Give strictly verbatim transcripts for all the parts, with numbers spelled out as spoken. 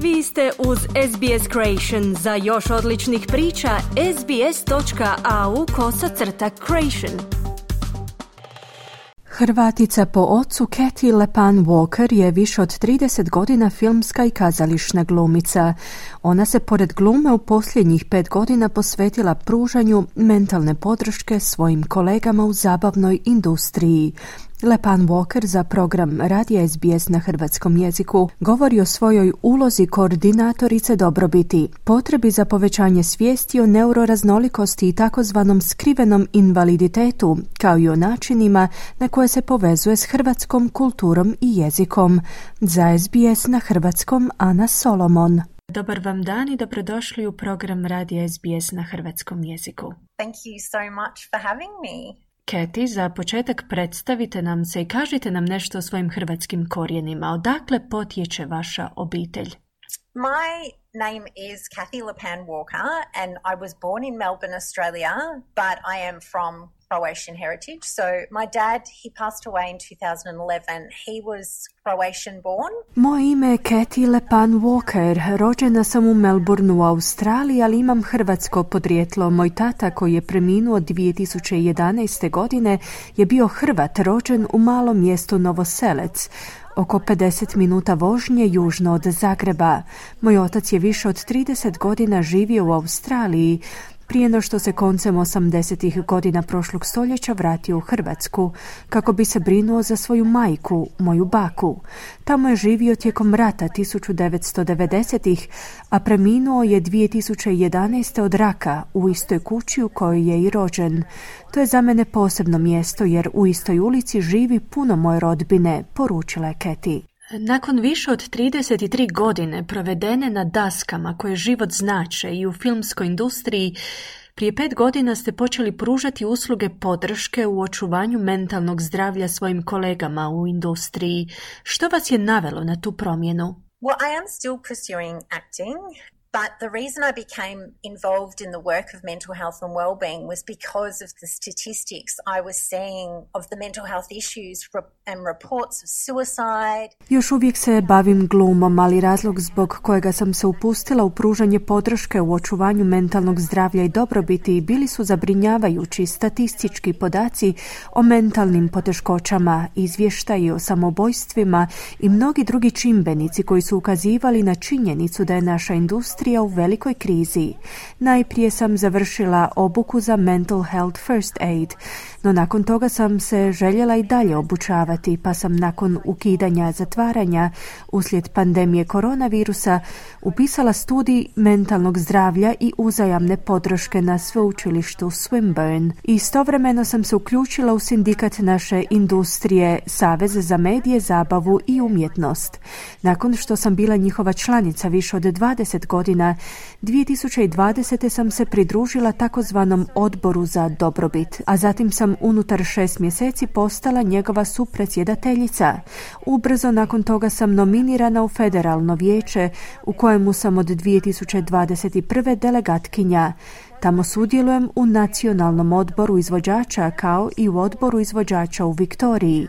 Vi ste uz S B S Creation. Za još odličnih priča, sbs.au kosacrta creation. Hrvatica po ocu Cathy Lepan Walker je više od trideset godina filmska i kazališna glumica. Ona se pored glume u posljednjih pet godina posvetila pružanju mentalne podrške svojim kolegama u zabavnoj industriji. Lepan Walker za program radija S B S na hrvatskom jeziku govori o svojoj ulozi koordinatorice dobrobiti, potrebi za povećanje svijesti o neuroraznolikosti i takozvanom skrivenom invaliditetu, kao i o načinima na koje se povezuje s hrvatskom kulturom i jezikom. Za S B S na hrvatskom Ana Solomon. Dobar vam dan i dobrodošli u program radija S B S na hrvatskom jeziku. Thank you so much for having me. Cathy, za početak predstavite nam se i kažite nam nešto o svojim hrvatskim korijenima. Odakle potječe vaša obitelj? My name is Cathy Lepan Walker and I was born in Melbourne, Australia, but I am from Croatian heritage. So my dad, he passed away in two thousand eleven. He was Croatian born. Moje ime je Cathy Lepan Walker. Rođena sam u Melbourneu u Australiji, ali imam hrvatsko podrijetlo. Moj tata, koji je preminuo dvije tisuće jedanaeste. godine, je bio Hrvat, rođen u malom mjestu Novoselec, oko pedeset minuta vožnje južno od Zagreba. Moj otac je više od trideset godina živio u Australiji, prije no što se koncem osamdesetih godina prošlog stoljeća vratio u Hrvatsku, kako bi se brinuo za svoju majku, moju baku. Tamo je živio tijekom rata tisuću devetsto devedesetih. a preminuo je dvije tisuće jedanaeste. od raka u istoj kući u kojoj je i rođen. To je za mene posebno mjesto jer u istoj ulici živi puno moje rodbine, poručila je Cathy. Nakon više od trideset tri godine provedene na daskama koje život znače i u filmskoj industriji, prije pet godina ste počeli pružati usluge podrške u očuvanju mentalnog zdravlja svojim kolegama u industriji. Što vas je navelo na tu promjenu? Well, I am still pursuing acting. But the reason I became involved in the work of mental health and well-being was because of the statistics I was seeing of the mental health issues and reports of suicide. Još uvijek se bavim glumom, ali razlog zbog kojega sam se upustila u pružanje podrške u očuvanju mentalnog zdravlja i dobrobiti bili su zabrinjavajući statistički podaci o mentalnim poteškoćama, izvještaji o samoubojstvima i mnogi drugi čimbenici koji su ukazivali na činjenicu da je naša industrija u velikoj krizi. Najprije sam završila obuku za Mental Health First Aid, no nakon toga sam se željela i dalje obučavati, pa sam nakon ukidanja zatvaranja uslijed pandemije koronavirusa upisala studij mentalnog zdravlja i uzajamne podrške na sveučilištu Swinburne. Istovremeno sam se uključila u sindikat naše industrije, Savez za medije, zabavu i umjetnost. Nakon što sam bila njihova članica više od dvadeset godina, dvije tisuće dvadesete. sam se pridružila takozvanom odboru za dobrobit, a zatim sam unutar šest mjeseci postala njegova supredsjedateljica. Ubrzo nakon toga sam nominirana u federalno vijeće, u kojemu sam od dvije tisuće dvadeset prve. delegatkinja. Tamo sudjelujem u nacionalnom odboru izvođača kao i u odboru izvođača u Viktoriji.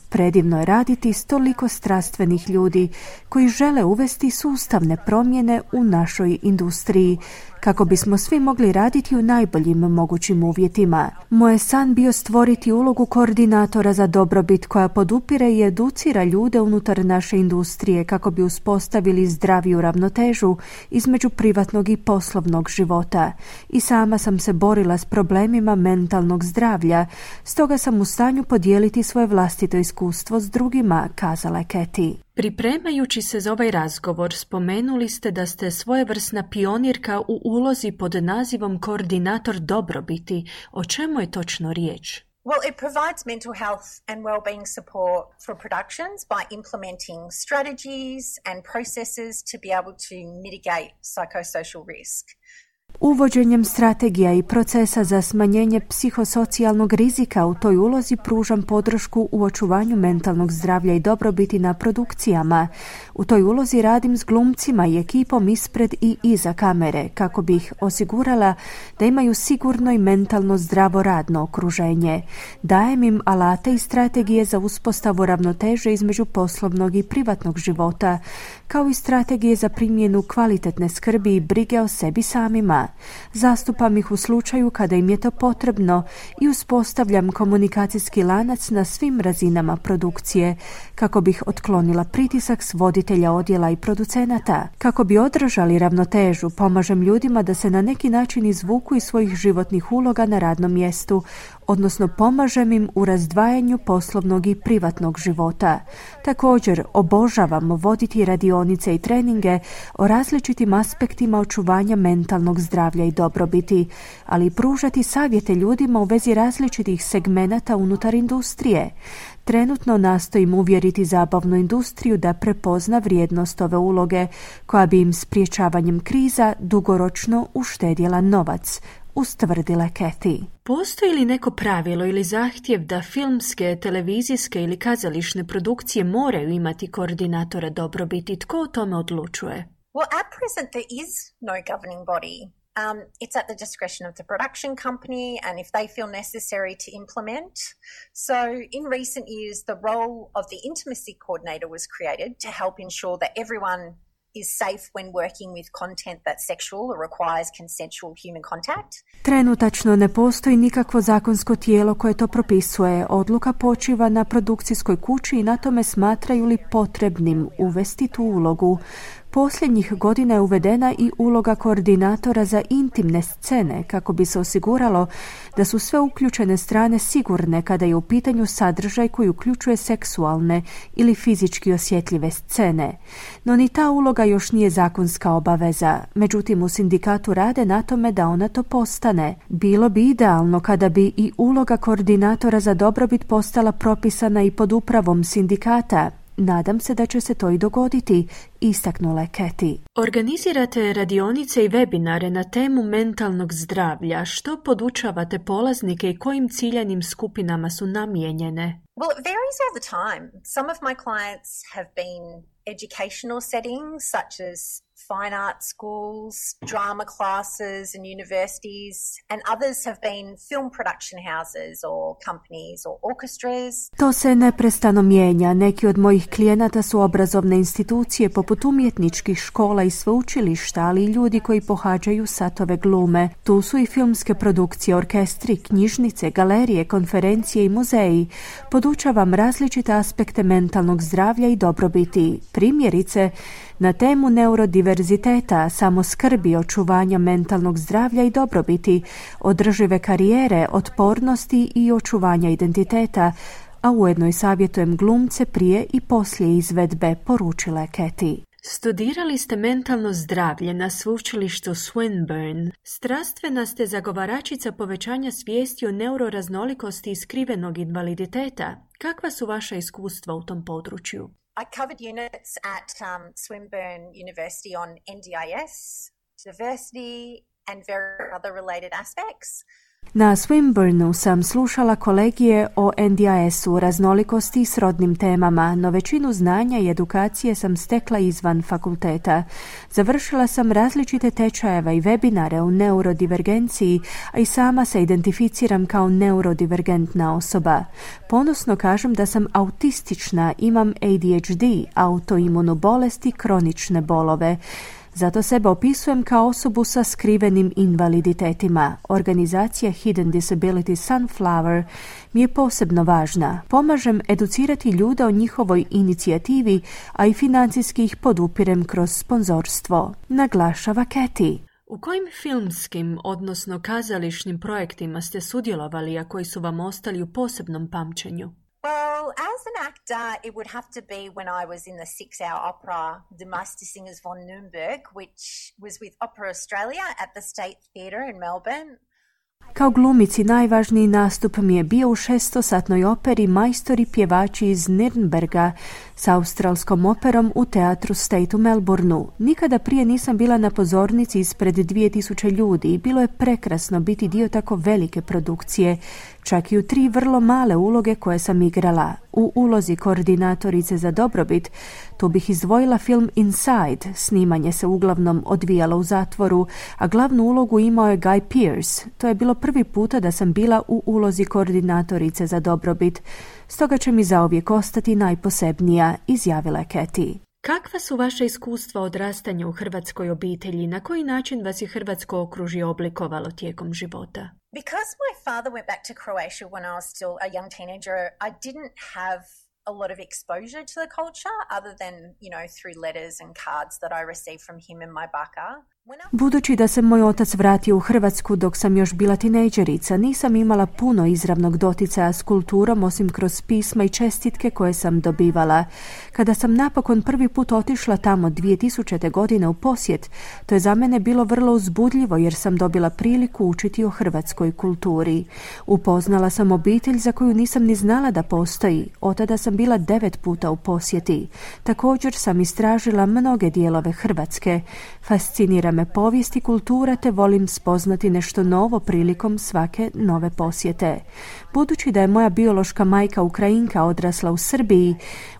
Predivno je raditi s toliko strastvenih ljudi koji žele uvesti sustavne promjene u našoj industriji kako bismo svi mogli raditi u najboljim mogućim uvjetima. Moj je san bio stvoriti ulogu koordinatora za dobrobit koja podupire i educira ljude unutar naše industrije kako bi uspostavili zdraviju ravnotežu između privatnog i poslovnog života. I sama sam se borila s problemima mentalnog zdravlja, stoga sam u stanju podijeliti svoje vlastito iskustvo s drugima, kazala je Cathy. Pripremajući se za ovaj razgovor, spomenuli ste da ste svojevrsna pionirka u ulozi pod nazivom koordinator dobrobiti. O čemu je točno riječ? Well, it provides mental health and well-being support for productions by implementing strategies and processes to be able to mitigate psychosocial risk. Uvođenjem strategija i procesa za smanjenje psihosocijalnog rizika u toj ulozi pružam podršku u očuvanju mentalnog zdravlja i dobrobiti na produkcijama. U toj ulozi radim s glumcima i ekipom ispred i iza kamere kako bi ih osigurala da imaju sigurno i mentalno zdravo radno okruženje. Dajem im alate i strategije za uspostavu ravnoteže između poslovnog i privatnog života, kao i strategije za primjenu kvalitetne skrbi i brige o sebi samima. Zastupam ih u slučaju kada im je to potrebno i uspostavljam komunikacijski lanac na svim razinama produkcije kako bih otklonila pritisak s voditelja odjela i producenata. Kako bi održali ravnotežu, pomažem ljudima da se na neki način izvuku iz svojih životnih uloga na radnom mjestu, odnosno pomažem im u razdvajanju poslovnog i privatnog života. Također, obožavam voditi radionice i treninge o različitim aspektima očuvanja mentalnog zdravlja i dobrobiti, ali i pružati savjete ljudima u vezi različitih segmenata unutar industrije. Trenutno nastojim uvjeriti zabavnu industriju da prepozna vrijednost ove uloge, koja bi im spriječavanjem kriza dugoročno uštedjela novac, ustvrdila Kathy. Postoji li neko pravilo ili zahtjev da filmske, televizijske ili kazališne produkcije moraju imati koordinatora dobrobiti? Tko o tome odlučuje? Well, at present there is no governing body. Um, it's at the discretion of the production company and if they feel necessary to implement. So in recent years, the role of the intimacy coordinator was created to help ensure that everyone is safe when working with content that's sexual or requires consensual human contact. Trenutačno ne postoji nikakvo zakonsko tijelo koje to propisuje. Odluka počiva na produkcijskoj kući i na tome smatraju li potrebnim uvesti tu ulogu. Posljednjih godina je uvedena i uloga koordinatora za intimne scene kako bi se osiguralo da su sve uključene strane sigurne kada je u pitanju sadržaj koji uključuje seksualne ili fizički osjetljive scene. No ni ta uloga još nije zakonska obaveza, međutim u sindikatu rade na tome da ona to postane. Bilo bi idealno kada bi i uloga koordinatora za dobrobit postala propisana i pod upravom sindikata. Nadam se da će se to i dogoditi, istaknula je Kathy. Organizirate radionice i webinare na temu mentalnog zdravlja. Što podučavate polaznike i kojim ciljanim skupinama su namijenjene? Well, it varies all the time. Some of my clients have been educational settings such as fine art schools, drama classes and universities, and others have been film production houses or companies or orchestras. To se neprestano mijenja. Neki od mojih klijenata su obrazovne institucije poput umjetničkih škola i sveučilišta, ali i ljudi koji pohađaju satove glume. Tu su i filmske produkcije, orkestri, knjižnice, galerije, konferencije i muzeji. Podučavam različite aspekte mentalnog zdravlja i dobrobiti. Primjerice, na temu neurodiverziteta, samoskrbi, očuvanja mentalnog zdravlja i dobrobiti, održive karijere, otpornosti i očuvanja identiteta, a ujedno i savjetujem glumce prije i poslije izvedbe, poručila je Kathy. Studirali ste mentalno zdravlje na sveučilištu Swinburne. Strastvena ste zagovaračica povećanja svijesti o neuroraznolikosti i skrivenog invaliditeta. Kakva su vaša iskustva u tom području? I covered units at um, Swinburne University on N D I S, diversity and various other related aspects. Na Swinburneu sam slušala kolegije o N D I S-u, raznolikosti i srodnim temama, no većinu znanja i edukacije sam stekla izvan fakulteta. Završila sam različite tečajeve i webinare o neurodivergenciji, a i sama se identificiram kao neurodivergentna osoba. Ponosno kažem da sam autistična, imam A D H D, autoimunu bolest i kronične bolove. Zato sebe opisujem kao osobu sa skrivenim invaliditetima. Organizacija Hidden Disability Sunflower mi je posebno važna. Pomažem educirati ljude o njihovoj inicijativi, a i financijski ih podupirem kroz sponzorstvo, naglašava Kathy. U kojim filmskim, odnosno kazališnim projektima ste sudjelovali, a koji su vam ostali u posebnom pamćenju? Well, as an actor, it would have to be when I was in the six-hour opera, The Meistersingers von Nürnberg, which was with Opera Australia at the State Theatre in Melbourne. Kao glumici najvažniji nastup mi je bio u šestosatnoj operi Majstori pjevači iz Nürnberga s australskom operom u teatru State u Melbourneu. Nikada prije nisam bila na pozornici ispred dvije tisuće ljudi i bilo je prekrasno biti dio tako velike produkcije, čak i u tri vrlo male uloge koje sam igrala. U ulozi koordinatorice za dobrobit tu bih izdvojila film Inside, snimanje se uglavnom odvijalo u zatvoru, a glavnu ulogu imao je Guy Pearce. To je bilo prvi puta da sam bila u ulozi koordinatorice za dobrobit, stoga će mi zauvijek ostati najposebnija, izjavila je Katie. Kakva su vaša iskustva odrastanja u hrvatskoj obitelji? Na koji način vas je hrvatsko okružje oblikovalo tijekom života? Because my father went back to Croatia when I was still a young teenager, I didn't have a lot of exposure to the culture other than, you know, through letters and cards that I received from him and my baka. Budući da se moj otac vratio u Hrvatsku dok sam još bila tinejdžerica, nisam imala puno izravnog doticaja s kulturom osim kroz pisma i čestitke koje sam dobivala. Kada sam napokon prvi put otišla tamo dvije tisućite. godine u posjet, to je za mene bilo vrlo uzbudljivo jer sam dobila priliku učiti o hrvatskoj kulturi. Upoznala sam obitelj za koju nisam ni znala da postoji. Od tada sam bila devet puta u posjeti. Također sam istražila mnoge dijelove Hrvatske. Fascinira me povijest i kultura te volim spoznati nešto novo prilikom svake nove posjete. Budući da je moja biološka majka Ukrajinka odrasla u Srbiji,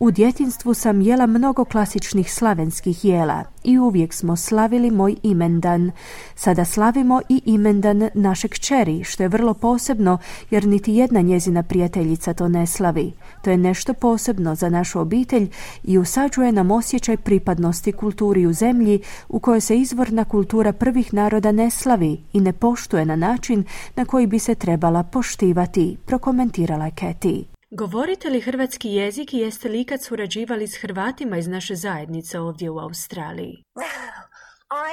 u djetinjstvu sam jela mnogo klasičnih slavenskih jela i uvijek smo slavili moj imendan. Sada slavimo i imendan naše kćeri, što je vrlo posebno jer niti jedna njezina prijateljica to ne slavi. To je nešto posebno za našu obitelj i usađuje nam osjećaj pripadnosti kulturi u zemlji u kojoj se izvorna kultura prvih naroda ne slavi i ne poštuje na način na koji bi se trebala poštivati, prokomentirala je Katie. Govorite li hrvatski jezik i jeste li ikad surađivali s Hrvatima iz naše zajednice ovdje u Australiji?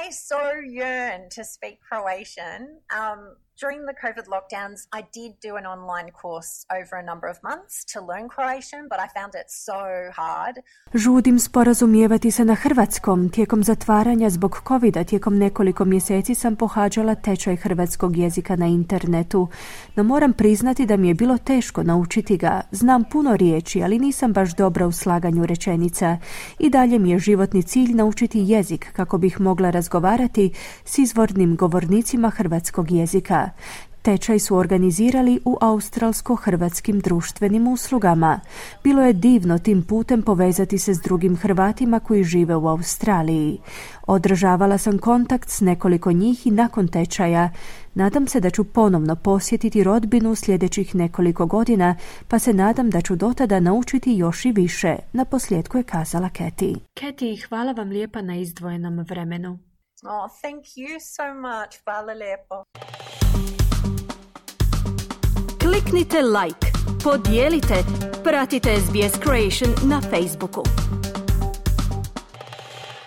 I so yearn to speak Croatian. Um, during the COVID lockdowns, I did do an online course over a number of months to learn Croatian, but I found it so hard. Žudim sporazumijevati se na hrvatskom. Tijekom zatvaranja zbog covida, tijekom nekoliko mjeseci sam pohađala tečaj hrvatskog jezika na internetu, no moram priznati da mi je bilo teško naučiti ga. Znam puno riječi, ali nisam baš dobra u slaganju rečenica. I dalje mi je životni cilj naučiti jezik kako bih mogla razgovarati s izvornim govornicima hrvatskog jezika. Tečaj su organizirali u australsko-hrvatskim društvenim uslugama. Bilo je divno tim putem povezati se s drugim Hrvatima koji žive u Australiji. Održavala sam kontakt s nekoliko njih i nakon tečaja. Nadam se da ću ponovno posjetiti rodbinu sljedećih nekoliko godina, pa se nadam da ću dotada naučiti još i više, naposljetku je kazala Katie. Katie, hvala vam lijepa na izdvojenom vremenu. Oh, thank you so much. Hvala lijepo. Kliknite like, podijelite, pratite S B S Creation na Facebooku.